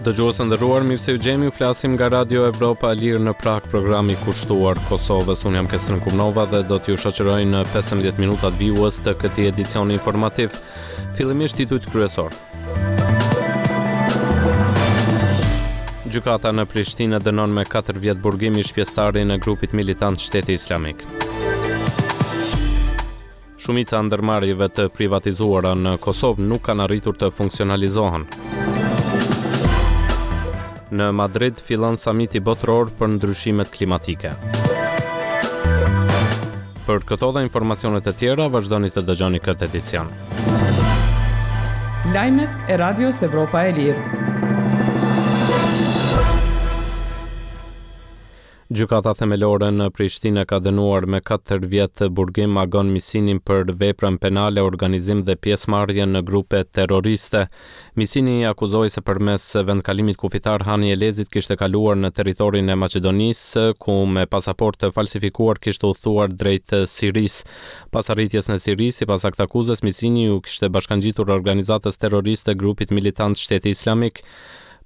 Dëgjues të nderuar, mirë se ju gjejmë, ju flasim nga Radio Evropa e Lirë në Pragë, programi kushtuar Kosovës. Unë jam Kestrin Kumnova dhe do t'ju shoqëroj në 15 minutat vijues të këtij edicioni informativ. Fillimisht titujt kryesorë. Gjykata në Prishtinë dënon me 4 vjet burgim ish-pjesëtarin e grupit militant Shteti Islamik. Shumica e ndërmarrjeve të privatizuara në Kosovë nuk kanë arritur të funksionalizohen. Në Madrid fillon samiti botëror për ndryshimet klimatike. Për këto dhe informacionet e tjera, vazhdoni të dëgjoni këtë edicion. Lajmet e Radios Evropa e Lirë. Gjykata Themelore në Prishtinë ka dënuar me katër vjet burgim Agon Misinin për veprën penale organizim dhe pjesëmarrje në grupe terroriste. Misini akuzohej se përmes vendkalimit kufitar Hani i Elezit kishte kaluar në territorin e Maqedonisë, ku me pasaportë të falsifikuar kishte udhëtuar drejt Sirisë. Pas arritjes në Siri, sipas aktakuzës, Misini iu kishte bashkangjitur organizatës terroriste grupit militant Shteti Islamik.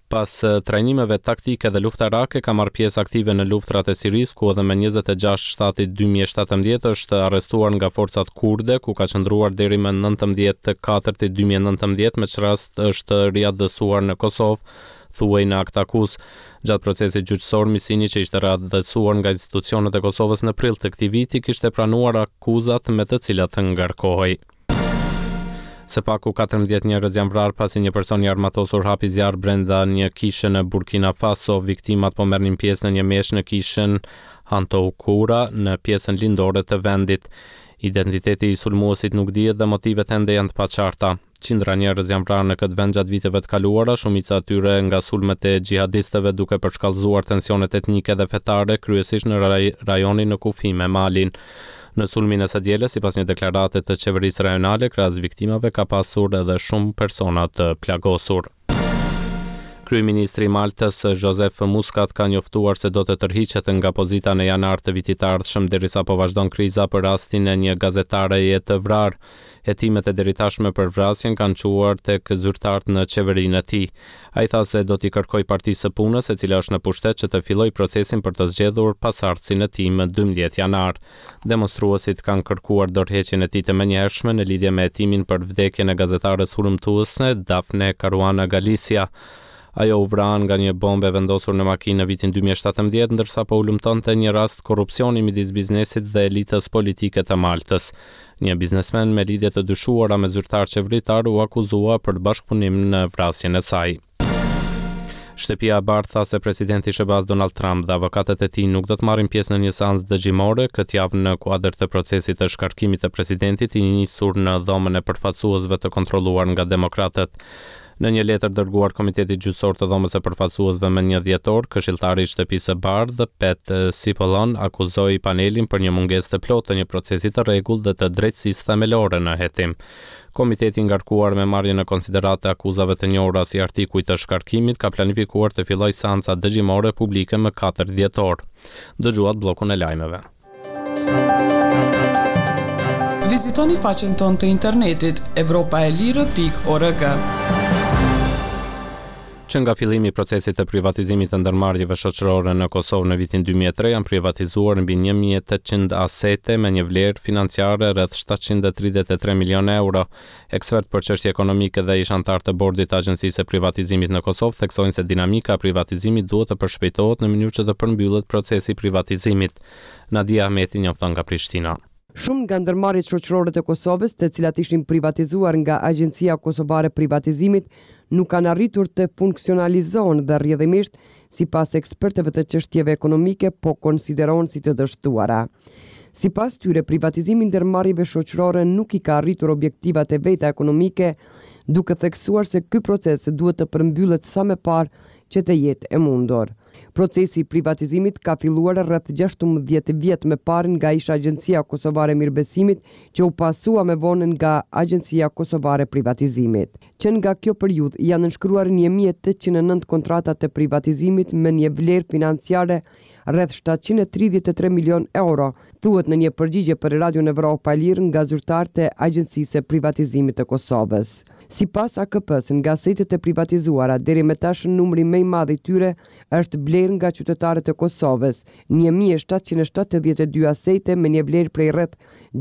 Pas trajnimeve taktike dhe luftarake ka marrë pjesë aktive në luftërat e Sirisë, ku edhe më 26 shtatit 2017 është arrestuar nga forcat kurde, ku ka qëndruar deri më 19 katërti 2019, me ç'rast është riatdhesuar në Kosovë, thuhej në aktakuzë. Gjatë procesit gjyqësor, Misini që ishte riatdhesuar nga institucionet e Kosovës në prill të këtij viti, kishte pranuar akuzat me të cilat ngarkohej. Së paku 14 njerëz janë vrarë pasi një person i armatosur hapi zjarr brenda një kishe në Burkina Faso. Viktimat po merrnin pjesë në një meshë në kishën Hantoukoura në pjesën lindore të vendit. Identiteti i sulmuesit nuk dihet dhe motivet ende janë të paqarta. Qindra njerëz janë vrarë në këtë vend gjatë viteve të kaluara, shumica e tyre nga sulmet e xhihadistëve duke përshkallëzuar tensionet etnike dhe fetare, kryesisht në rajonin në kufi me Malin. Në sulmin e së dielës, sipas një deklarate të qeverisë rajonale, krahas viktimave ka pasur edhe shumë persona të plagosur. Kryeministri i Maltës, Joseph Muscat ka njoftuar se do të tërhiqet nga pozita në janar të vitit të ardhshëm derisa po vazhdon kriza për rastin e një gazetareje të vrarë. Hetimet e deritashme për vrasjen kanë çuar tek zyrtarët në qeverinë e tij. Ai tha se do t'i kërkojë Partisë së Punës, e cila është në pushtet që të fillojë procesin për të zgjedhur pasardhësin e tij më 12 janar. Demonstruesit kanë kërkuar dorëheqjen e tij të menjëhershme në lidhje me hetimin për vdekjen e gazetares hulumtuese Daphne Caruana Galizia. Ajo u vra nga një bombë e vendosur në makinë në vitin 2017, ndërsa po hulumtonte një rast korrupsioni midis biznesit dhe elitës politike të Maltës. Një biznesmen me lidhje të dyshuara me zyrtarë qeveritarë u akuzua për bashkëpunim në vrasjen e saj. Shtëpia e Bardhë tha se presidenti i SHBA-s Donald Trump dhe avokatët e tij nuk do të marrin pjesë në një seancë dëgjimore këtë javë në kuadër të procesit të shkarkimit të presidentit i nisur në Dhomën e Përfaqësuesve të kontrolluar nga demokratët. Në një letër dërguar Komitetit Gjyqësor të Dhomës së Përfaqësuesve më një dhjetor, këshilltari i Shtëpisë së Bardhë, Pat Cipollone, akuzoi panelin për një mungesë të plotë të një procesi të rregullt dhe të drejtësisë themelore në hetim. Komiteti i ngarkuar me marrjen në konsideratë të akuzave të njohura si artikuj të shkarkimit ka planifikuar të fillojë seancat dëgjimore publike më 4 dhjetor. Dëgjuat bllokun e lajmeve. Vizitoni faqen tonë të internetit evropaelire.org. Që nga fillimi i procesit të privatizimit të ndërmarrjeve shoqërore në Kosovë në vitin 2003 janë privatizuar mbi 1800 asete me një vlerë financiare rreth 733 milionë euro. Ekspertë për çështje ekonomike dhe ish-anëtarë të bordit të Agjencisë së Privatizimit në Kosovë theksojnë se dinamika e privatizimit duhet të përshpejtohet në mënyrë që të përmbyllet procesi i privatizimit. Nadia Ahmeti njofton nga Prishtina. Shumë nga ndërmarrjet shoqërore të Kosovës, të cilat ishin privatizuar nga Agjencia Kosovare e Privatizimit, nuk kanë arritur të funksionalizohen dhe rrjedhimisht, sipas ekspertëve të çështjeve ekonomike, po konsiderohen si të dështuara. Sipas tyre, privatizimi i ndërmarrjeve shoqërore nuk i ka arritur objektivat e veta ekonomike, duke theksuar se ky proces duhet të përmbyllet sa më parë që të jetë e mundur. Procesi i privatizimit ka filluar rreth 16 vjet më parë nga ish Agjencia Kosovare e Mirëbesimit, që u pasua më vonë nga Agjencia Kosovare e Privatizimit. Që nga kjo periudhë janë nënshkruar 1809 kontrata të privatizimit me një vlerë financiare rreth 733 milionë euro, thuhet në një përgjigje për Radion Evropa e Lirë nga zyrtarët e Agjencisë së Privatizimit të Kosovës. Sipas AKP-së, nga asetet e privatizuara deri me tash numri më i madh i tyre është blerë nga qytetarët e Kosovës, 1772 asete me një vlerë prej rreth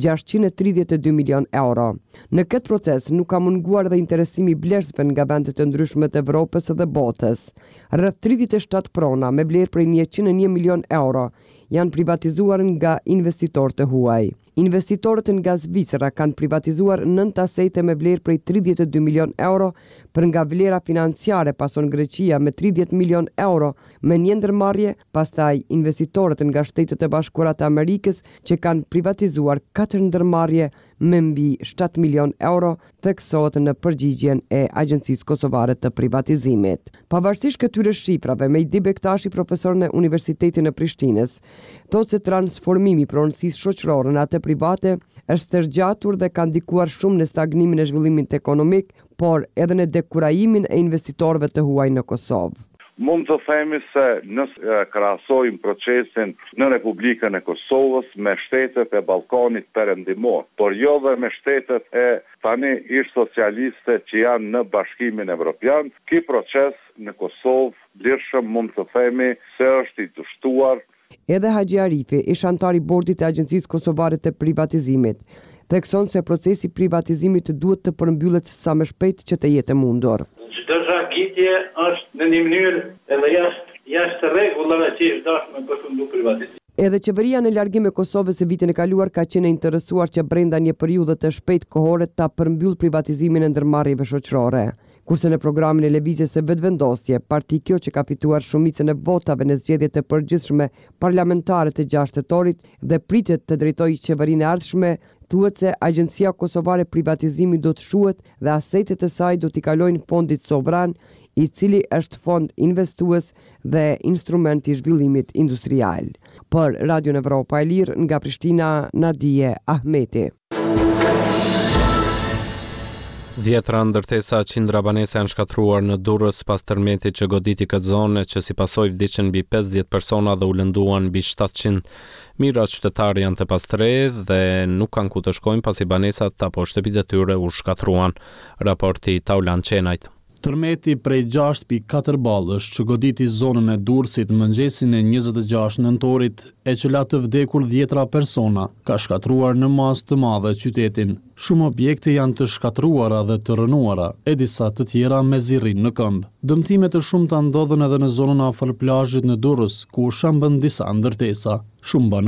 632 milionë euro. Në këtë proces nuk ka munguar edhe interesimi i blerësve nga vendet e ndryshme të Evropës dhe botës. Rreth 37 prona me vlerë prej 101 milionë euro janë privatizuar nga investitorë të huaj. Investitorët nga Zvicra kanë privatizuar nëntë asete me vlerë prej 32 milionë euro, për nga vlera financiare pason Greqia me 30 milionë euro me një ndërmarrje, pastaj investitorët nga Shtetet e Bashkuara të Amerikës që kanë privatizuar katër ndërmarrje me mbi 7 milionë euro, theksohet në përgjigjen e Agjencisë Kosovare të Privatizimit. Pavarësisht këtyre shifrave, Mejdi Bektashi, profesor në Universitetin e Prishtinës, thotë se transformimi i pronësisë shoqërore në atë private është stërgjatur dhe ka ndikuar shumë në stagnimin e zhvillimit ekonomik, por edhe në dekurajimin e investitorëve të huaj në Kosovë. Mund të themi se nëse krahasojmë procesin në Republikën e Kosovës me shtetet e Ballkanit Perëndimor, por jo dhe me shtetet e tani ish-socialiste që janë në Bashkimin Evropian, ky proces në Kosovë lirshëm mund të themi se është i dështuar, Edhe Haxhi Arifi, ish-anëtar i Bordit të Agjencisë Kosovare të Privatizimit, thekson se procesi i privatizimit duhet të përmbyllet sa më shpejt që të jetë e mundur. Çdo zvarritje është në një mënyrë edhe jashtë jashtë rregullave që ish dashtë me përfundu privatizimi. Edhe qeveria në largim e Kosovës vitin e kaluar ka qenë e interesuar që brenda një periudhe të shpejtë kohore ta përmbyllë privatizimin e ndërmarrjeve shoqërore. Kurse në programin e Lëvizjes së Vetëvendosje, parti kjo që ka fituar shumicën e votave në zgjedhjet e përgjithshme parlamentare të 6 tetorit dhe pritet të drejtojë qeverinë e ardhshme, thuhet se Agjencia Kosovare e Privatizimit do të shuhet dhe asetet e saj do t'i kalojnë fondit sovran, i cili është fond investues dhe instrument i zhvillimit industrial. Për Radion Evropa e Lirë nga Prishtina, Nadije Ahmeti. Dhjetra ndërtesa qindra banesa janë shkatërruar në Durrës pas tërmetit që goditi këtë zonë e që si pasojë vdiqën mbi 50 persona dhe u lënduan mbi 700. Mijëra qytetarë janë të pastrehë dhe nuk kanë ku të shkojnë pasi banesat apo shtëpitë e tyre u shkatërruan. Raporti Taulant Qenajt. Tërmeti prej 6.4 ballësh që goditi zonën e Durrësit mëngjesin e 26 nëntorit e që la të vdekur dhjetra persona, ka shkatërruar në masë të madhe qytetin. Shumë objekte janë të shkatërruara dhe të rrënuara, e disa të tjera mezi rrinë në këmbë. Dëmtime të shumta ndodhën edhe në zonën afër plazhit në Durrës, ku u shembën disa ndërtesa. Shumë banorë.